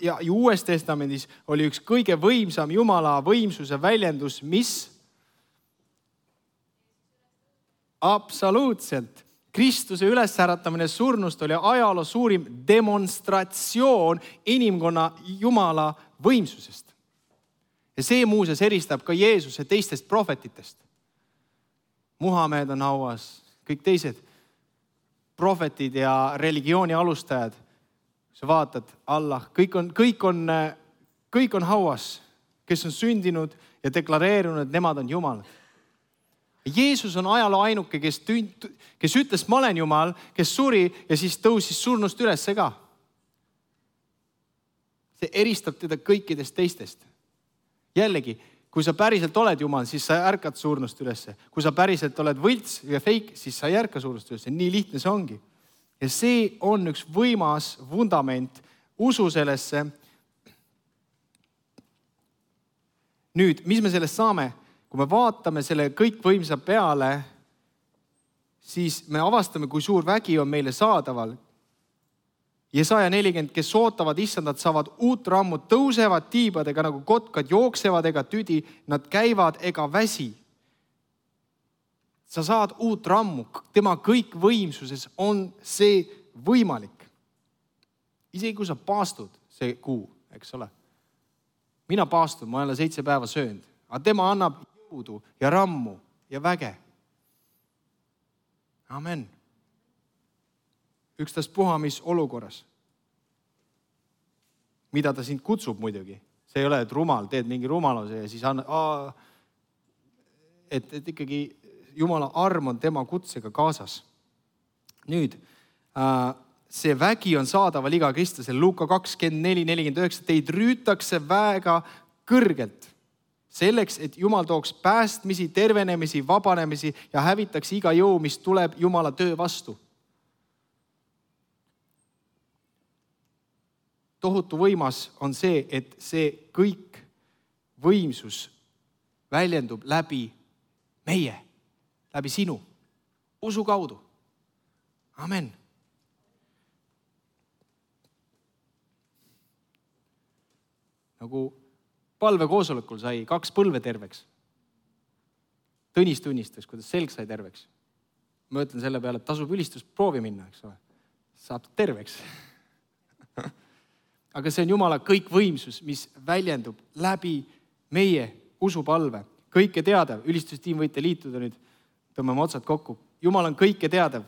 Ja Uues Testamendis oli üks kõige võimsam Jumala võimsuse väljendus, mis? Absoluutselt. Kristuse ülesäratamine surnust oli ajaloo suurim demonstratsioon inimkonna Jumala võimsusest. Ja see muuseas eristab ka Jeesuse teistest prohvetitest. Muhamed on hauas, kõik teised prohvetid ja religiooni alustajad. Sa vaatad, Allah, kõik on hauas, kes on sündinud ja deklareerunud, et nemad on Jumal. Jeesus on ajaloo ainuke, kes ütles, ma olen Jumal, kes suri ja siis tõusis surnust ülesse ka. See eristab teda kõikidest teistest. Jällegi, kui sa päriselt oled Jumal, siis sa ärkad surnust ülesse. Kui sa päriselt oled võlts ja fake, siis sa ei ärka surnust ülesse. Nii lihtne see ongi. Ja see on üks võimas vundament usu sellesse. Nüüd, mis me sellest saame? Kui me vaatame selle kõikvõimsa peale, siis me avastame, kui suur vägi on meile saadaval. Jesaja 40, kes ootavad issandat, saavad uut rammut, tõusevad tiibadega nagu kotkad, jooksevad ega tüdi, nad käivad ega väsi. sa saad uut rammu, tema kõikvõimsuses on see võimalik. Isegi kui sa paastud see kuu, eks ole. Mina paastun, ma olen 7 päeva söönud, aga tema annab jõudu ja rammu ja väge. Amen. Ükstaspuha mis olukorras. Mida ta sind kutsub muidugi. See ei ole, et rumal, teed mingi rumaluse ja siis et ikkagi Jumala arm on tema kutsega kaasas. Nüüd, see vägi on saadaval iga kristlasel. Luuka 24:49. Teid rüütakse väega kõrgelt. Selleks, et Jumal tooks päästmisi, tervenemisi, vabanemisi ja hävitaks iga jõu, mis tuleb Jumala töö vastu. Tohutu võimas on see, et see kõik võimsus väljendub läbi meie, läbi sinu, usu kaudu. Amen. Nagu palvekoosolekul sai 2 põlve terveks. Tõnis tunnistas, kuidas selg sai terveks. Ma ütlen selle peale, et tasub ülistusproovi minna, eks ole. Saab terveks. Aga see on Jumala kõikvõimsus, mis väljendub läbi meie usupalve. Kõike teadev, ülistustiim võite liituda nüüd, tõmbame otsad kokku. Jumal on kõike teadev.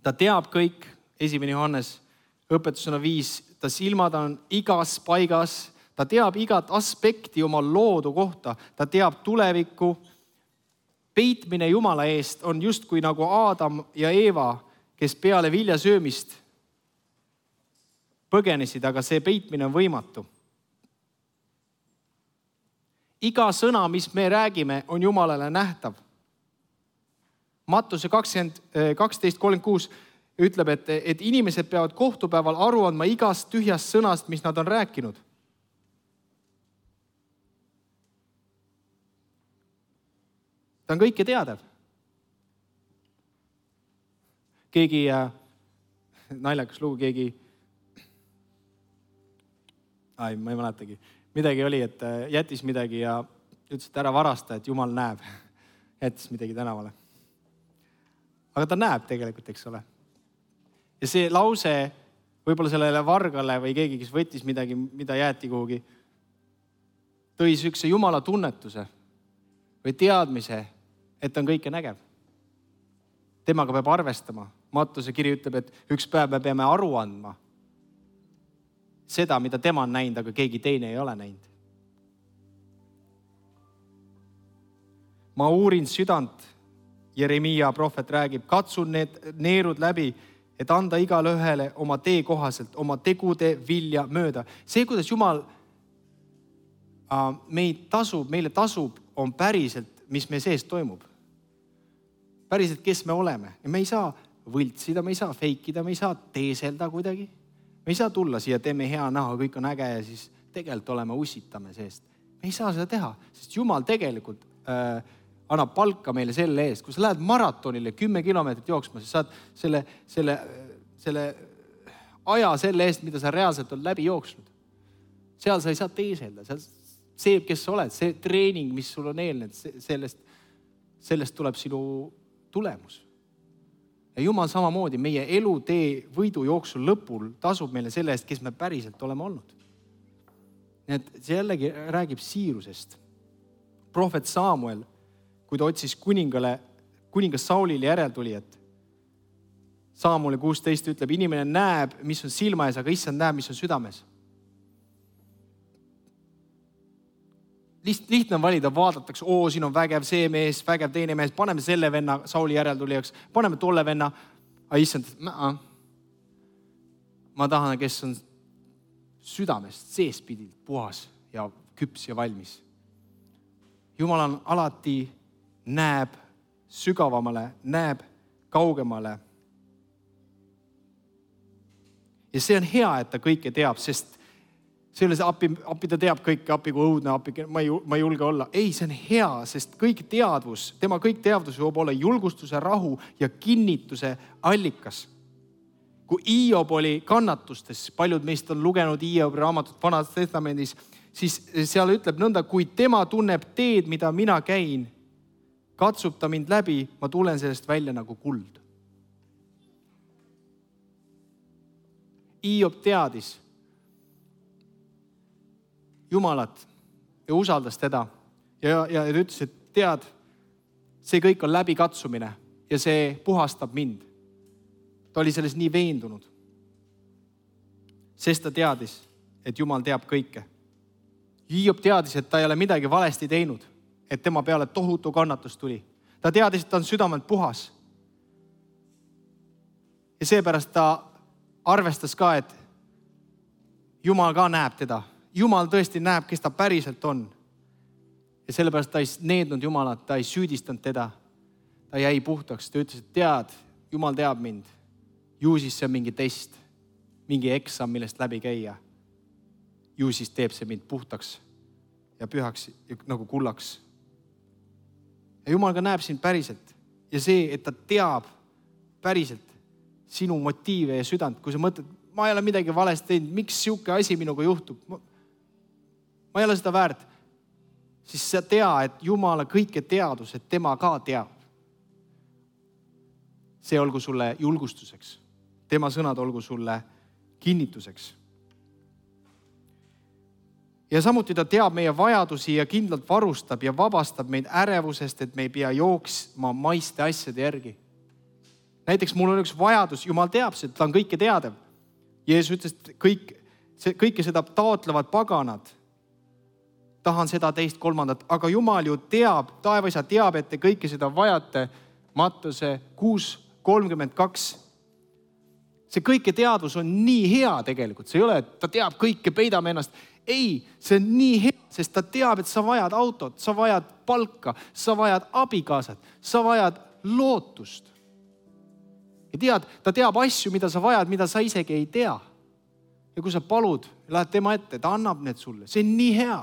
Ta teab kõik, 1. Johannes õpetusena 5, ta silmad on igas paigas, ta teab igat aspekti oma loodu kohta, ta teab tulevikku. Peitmine Jumala eest on justkui nagu Aadam ja Eeva, kes peale vilja söömist põgenesid, aga see peitmine on võimatu. Iga sõna, mis me räägime, on Jumalale nähtav. Mattuse 12:36 ütleb, et inimesed peavad kohtupäeval aru andma igast tühjast sõnast, mis nad on rääkinud. Ta on kõike teadev. Keegi, naljakas lugu, ma ei mäletagi. Midagi oli, et jättis midagi ja ütles, et ära varasta, et Jumal näeb. Jättis midagi tänavale. Aga ta näeb tegelikult, eks ole. Ja see lause võib-olla sellele vargale või keegi, kes võttis midagi, mida jäeti kuhugi, tõi sükse Jumala tunnetuse või teadmise, et ta on kõike nägev. Temaga peab arvestama. Mattuse kiri ütleb, et üks päev me peame aru andma seda, mida tema on näinud, aga keegi teine ei ole näinud. Ma uurin südant, Jeremiia prohvet räägib, katsun need neerud läbi, et anda igale ühele oma tee kohaselt, oma tegude vilja mööda. See, kuidas Jumal meile tasub, on päriselt, mis me sees toimub. Päriselt, kes me oleme. Ja me ei saa võltsida, me ei saa feikida, me ei saa teeselda kuidagi. Me ei saa tulla siia, teeme hea näha, kõik on äge ja siis tegelikult oleme usitame seest. Me ei saa seda teha, sest Jumal tegelikult annab palka meile selle eest. Kui sa lähed maratonile 10 kilomeetrit jooksma, siis saad selle aja selle eest, mida sa reaalselt on läbi jooksnud. Seal sa ei saa teeselda. See, kes sa oled, see treening, mis sul on eelnenud, sellest tuleb sinu tulemus. Ja Jumal samamoodi meie elutee võidu jooksul lõpul tasub meile selle eest, kes me päriselt oleme olnud. Nii et see jällegi räägib siirusest. Prohvet Samuel, kui ta otsis kuningas Saulile järeltulijat, Samueli 16 ütleb, inimene näeb, mis on silma ees, aga issand näeb, mis on südames. Lihtne on valida, vaadatakse, siin on vägev see mees, vägev teine mees, paneme selle venna Sauli järeltulijaks, paneme tolle venna, aga issand, ma tahan, kes on südamest seespidilt puhas ja küps ja valmis. Jumal on alati näeb sügavamale, näeb kaugemale. Ja see on hea, et ta kõike teab, sest see ei ole see appi ta teab kõike, appi kui õudne, ma ei julge olla. Ei, see on hea, sest tema kõik teadvus võib olla julgustuse, rahu ja kinnituse allikas. Kui Hiob oli kannatustes, paljud meist on lugenud Hiobi raamatut Vanas Testamendis, siis seal ütleb nõnda, kui tema tunneb teed, mida mina käin, katsub ta mind läbi, ma tulen sellest välja nagu kuld. Hiob teadis Jumalat ja usaldas teda ja ta ütles, et tead, see kõik on läbikatsumine ja see puhastab mind. Ta oli selles nii veendunud, sest ta teadis, et Jumal teab kõike. Hiob teadis, et ta ei ole midagi valesti teinud, et tema peale tohutu kannatus tuli. Ta teadis, et ta on südamelt puhas. Ja seepärast ta arvestas ka, et Jumal ka näeb teda. Jumal tõesti näeb, kes ta päriselt on. Ja sellepärast ta ei neednud Jumalat, ta ei süüdistanud teda. Ta jäi puhtaks, ta ütles, et tead, Jumal teab mind. Ju siis see on mingi test, mingi eksam, millest läbi käia. Ju siis teeb see mind puhtaks ja pühaks ja nagu kullaks. Ja Jumal ka näeb sind päriselt. Ja see, et ta teab päriselt sinu motiive ja südant, kui sa mõtled, ma ei ole midagi valesti teinud, miks siuke asi minuga juhtub? Ma ei ole seda väärt. Siis sa tea, et Jumala kõike teadus, et tema ka teab. See olgu sulle julgustuseks. Tema sõnad olgu sulle kinnituseks. Ja samuti ta teab meie vajadusi ja kindlalt varustab ja vabastab meid ärevusest, et me ei pea jooksma maiste asjade järgi. Näiteks mul on üks vajadus, Jumal teab seda, ta on kõike teadev. Jeesus ütles, et kõike seda taotlevad paganad. Tahan seda, teist, kolmandat, aga Jumal ju teab, taevaisa teab, et te kõike seda vajate. Mattuse 6:32. See kõike teadvus on nii hea tegelikult. See ei ole, et ta teab kõike, peidame ennast. Ei, see on nii hea, sest ta teab, et sa vajad autot, sa vajad palka, sa vajad abikaasat, sa vajad lootust. Ja tead, ta teab asju, mida sa vajad, mida sa isegi ei tea. Ja kui sa palud, lähed tema ette, ta annab need sulle. See on nii hea.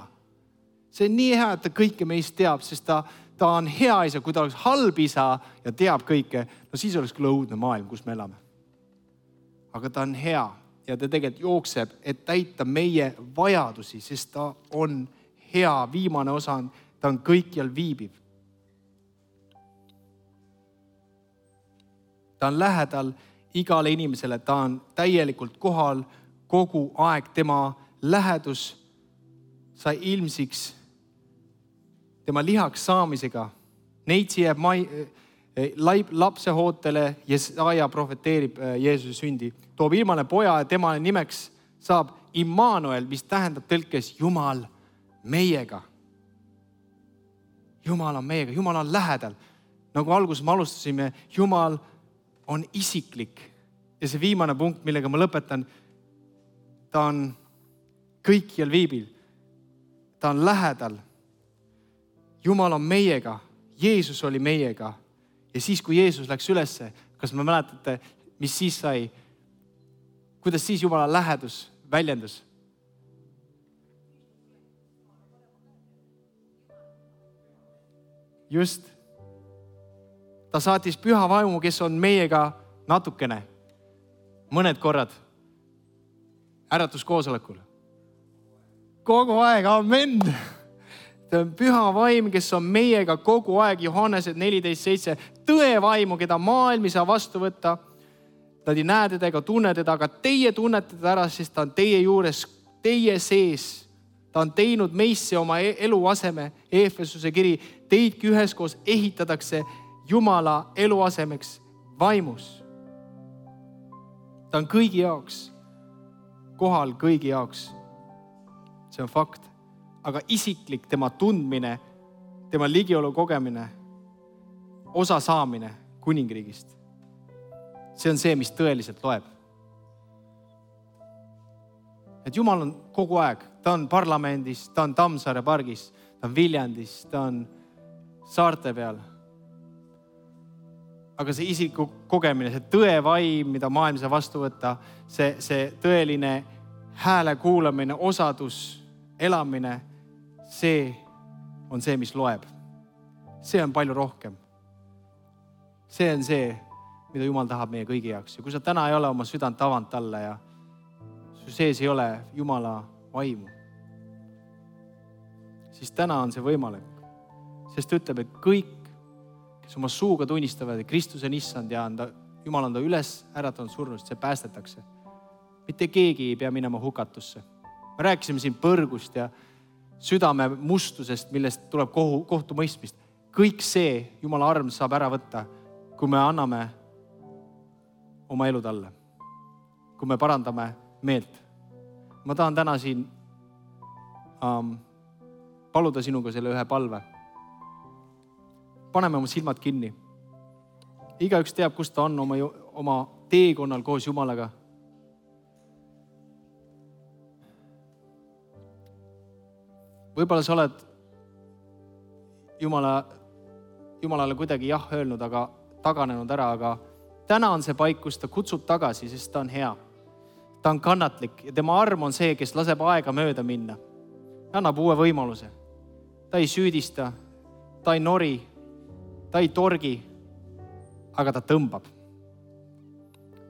See on nii hea, et ta kõike meist teab, sest ta on hea isa. Kui ta oleks halb isa ja teab kõike, no siis oleks küll õudne maailm, kus me elame. Aga ta on hea ja ta tegelikult jookseb, et täita meie vajadusi, sest ta on hea. Viimane osa on, ta on kõikjal viibiv. Ta on lähedal igale inimesele, ta on täielikult kohal kogu aeg. Tema lähedus sai ilmsiks tema lihaks saamisega. Neitsi jääb lapsehootele, Jesaja profeteerib Jeesuse sündi. Toob ilmale poja ja tema nimeks saab Immanuel, mis tähendab tõlkes Jumal meiega. Jumal on meiega, Jumal on lähedal. Nagu alguses me alustasime, Jumal on isiklik. Ja see viimane punkt, millega ma lõpetan, ta on kõikjal viibil. Ta on lähedal. Jumal on meiega. Jeesus oli meiega. Ja siis, kui Jeesus läks ülesse, kas me mäletate, mis siis sai? Kuidas siis Jumala lähedus väljendus? Just. Ta saatis püha vaimu, kes on meiega natukene. Mõned korrad. Äratuskoosolekul. Kogu aeg, amen. Ta on püha vaim, kes on meiega kogu aeg. Johannese 14:7. Tõe vaimu, keda maailm ei saa vastu võtta. Nad ei näe teda ega tunne teda, aga teie tunnete teda ära, sest ta on teie juures, teie sees. Ta on teinud meisse oma eluaseme. Eefesuse kiri. Teidki üheskoos ehitatakse Jumala eluasemeks vaimus. Ta on kõigi jaoks. Kohal kõigi jaoks. See on fakt. Aga isiklik tema tundmine, tema ligiolu kogemine, osa saamine kuningriigist. See on see, mis tõeliselt loeb. Et Jumal on kogu aeg. Ta on parlamendis, ta on Tammsaare pargis, ta on Viljandis, ta on saarte peal. Aga see isiku kogemine, see tõevaim, mida maailm saa vastu võtta, see tõeline hääle kuulamine, osadus, elamine, see on see, mis loeb. See on palju rohkem. See on see, mida Jumal tahab meie kõigi jaoks. Ja kui sa täna ei ole oma südant avanud talle ja su sees ei ole Jumala vaimu, siis täna on see võimalik. Sest ta ütleb, et kõik, kes oma suuga tunnistavad, et Kristus on issand ja Jumal on ta üles äratanud surnust, see päästetakse. Mitte keegi ei pea minema hukatusse. Me rääkisime siin põrgust ja südame mustusest, millest tuleb kohtumõistmist. Kõik see Jumala arm saab ära võtta, kui me anname oma elu talle. Kui me parandame meelt. Ma tahan täna siin paluda sinuga selle ühe palve. Paneme oma silmad kinni. Igaüks teab, kus ta on oma teekonnal koos Jumalaga. Võib-olla sa oled Jumalale kuidagi jah öelnud, aga taganenud ära, aga täna on see paik, kus ta kutsub tagasi, sest ta on hea. Ta on kannatlik ja tema arm on see, kes laseb aega mööda minna. Ta annab uue võimaluse. Ta ei süüdista, ta ei nori, ta ei torgi, aga ta tõmbab.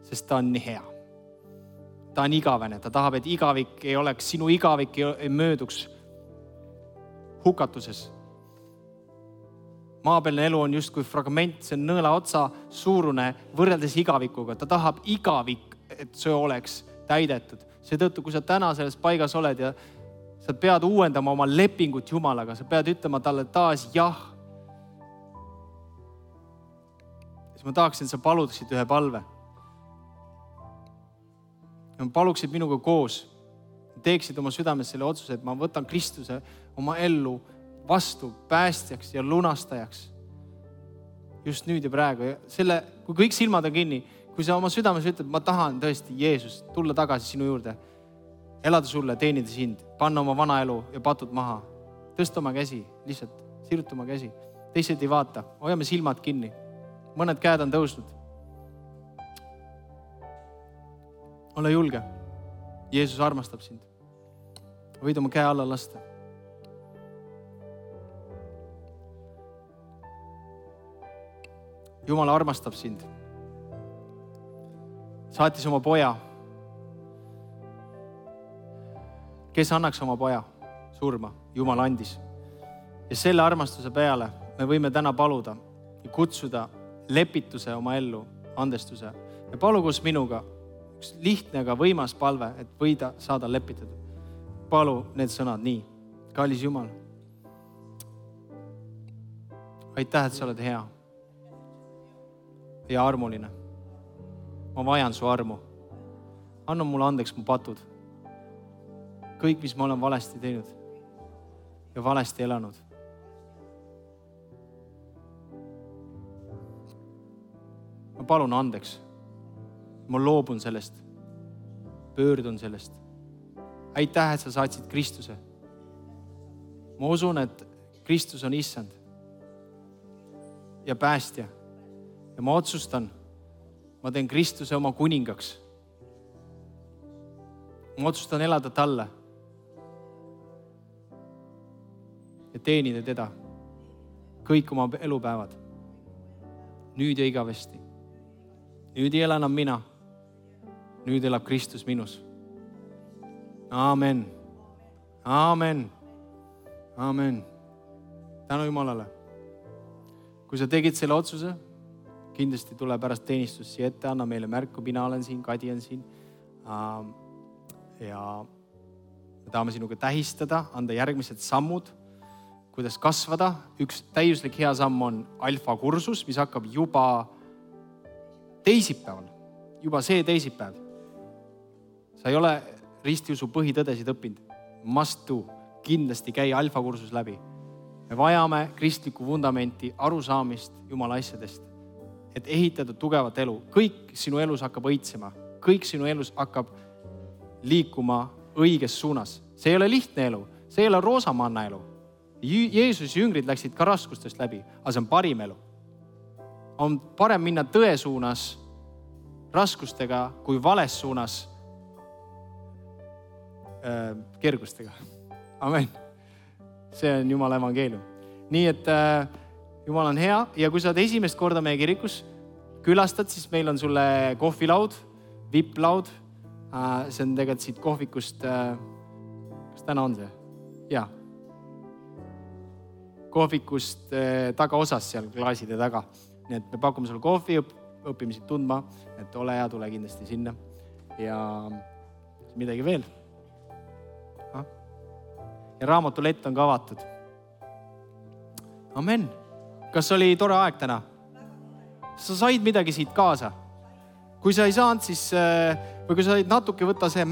Sest ta on nii hea. Ta on igavene, ta tahab, et igavik ei oleks, sinu igavik ei mööduks hukatuses. Maapealne elu on justkui fragment, see on nõela otsa suurune võrreldes igavikuga. Ta tahab igavik, et see oleks täidetud. Seetõttu, kui sa täna selles paigas oled ja sa pead uuendama oma lepingut Jumalaga, sa pead ütlema talle taas jah. Siis ma tahaksin, et sa paluksid ühe palve. Ja paluksid minuga koos. Teeksid oma südames selle otsuse, et ma võtan Kristuse oma ellu vastu päästjaks ja lunastajaks. Just nüüd ja praegu. Kui kõik silmad on kinni, kui sa oma südames ütled, ma tahan tõesti Jeesus tulla tagasi sinu juurde, elada sulle, teenida sind, panna oma vana elu ja patud maha. Tõsta oma käsi, lihtsalt siruta oma käsi. Teised ei vaata, hoiame silmad kinni. Mõned käed on tõusnud. Ole julge. Jeesus armastab sind. Võid oma käe alla lasta. Jumal armastab sind. Saatis oma poja. Kes annaks oma poja surma? Jumal andis. Ja selle armastuse peale me võime täna paluda ja kutsuda lepituse oma ellu, andestuse. Ja palu koos minuga üks lihtne, aga võimas palve, et võida saada lepitatud. Palu need sõnad nii. Kallis Jumal. Aitäh, et sa oled hea ja armuline. Ma vajan su armu. Anna mulle andeks mu patud. Kõik, mis ma olen valesti teinud ja valesti elanud. Ma palun andeks. Ma loobun sellest. Pöördun sellest. Aitäh, et sa saatsid Kristuse. Ma usun, et Kristus on issand ja päästja. Ja ma otsustan, ma teen Kristuse oma kuningaks. Ma otsustan elada talle ja teenida teda kõik oma elupäevad. Nüüd ja igavesti. Nüüd ei ela enam mina. Nüüd elab Kristus minus. Aamen. Aamen. Aamen. Tänu Jumalale. Kui sa tegid selle otsuse, kindlasti tule pärast teenistust siia ette, anna meile märku, mina olen siin, Kadi on siin. Ja me tahame sinuga tähistada, anda järgmised sammud, kuidas kasvada. Üks täiuslik hea samm on alfa kursus, mis hakkab juba teisipäeval. Juba see teisipäev. Sa ei ole ristiusu põhitõdesid õppinud. Must do. Kindlasti käi alfa kursus läbi. Me vajame kristlikku vundamenti, arusaamist Jumala asjadest. Et ehitada tugevat elu. Kõik sinu elus hakkab õitsema. Kõik sinu elus hakkab liikuma õiges suunas. See ei ole lihtne elu. See ei ole roosamanna elu. Jeesus jüngrid läksid ka raskustest läbi, aga see on parim elu. On parem minna tõe suunas raskustega kui vales suunas kergustega. Amen. See on Jumala evangeelium. Nii et Jumal on hea ja kui sa oled esimest korda meie kirikus külastad, siis meil on sulle kohvilaud, VIP-laud. See on tegelikult siit kohvikust, kas täna on see? Jaa. kohvikust tagaosas seal klaaside taga. Nii et me pakume sulle kohvi, õpime siit tundma, et ole hea, tule kindlasti sinna. Ja midagi veel. Ja raamatulett on ka avatud. Amen. Kas oli tore aeg täna? Sa said midagi siit kaasa? Kui sa ei saanud, siis, või kui sa said natuke võtta see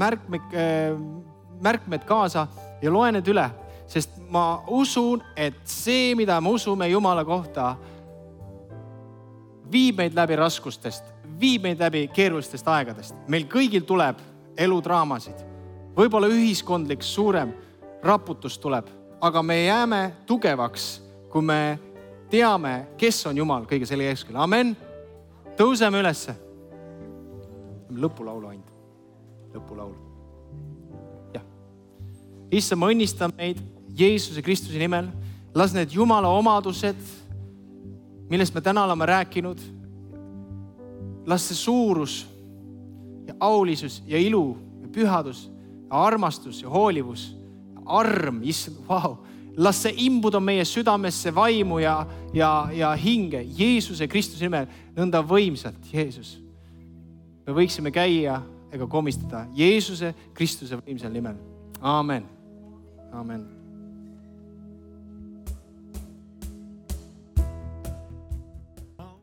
märkmed kaasa ja loe need üle, sest ma usun, et see, mida me usume Jumala kohta, viib meid läbi raskustest, viib meid läbi keerulistest aegadest. Meil kõigil tuleb eludraamasid. Võib-olla ühiskondlik suurem raputus tuleb, aga me jääme tugevaks, kui me teame, kes on Jumal kõige selle keskele. Amen. Tõuseme ülesse. Lõpulaulu ainult. Lõpulaulu. Jah. Issa, ma õnnistan meid Jeesuse Kristuse nimel. Las need Jumala omadused, millest me täna oleme rääkinud, las see suurus ja aulisus ja ilu ja pühadus ja armastus ja hoolivus ja arm, issand, vau. Las see imbuda meie südamesse vaimu ja hinge Jeesuse Kristuse nimel nõnda võimsalt, Jeesus. Me võiksime käia ega komistada Jeesuse Kristuse võimsal nimel. Amen. Amen.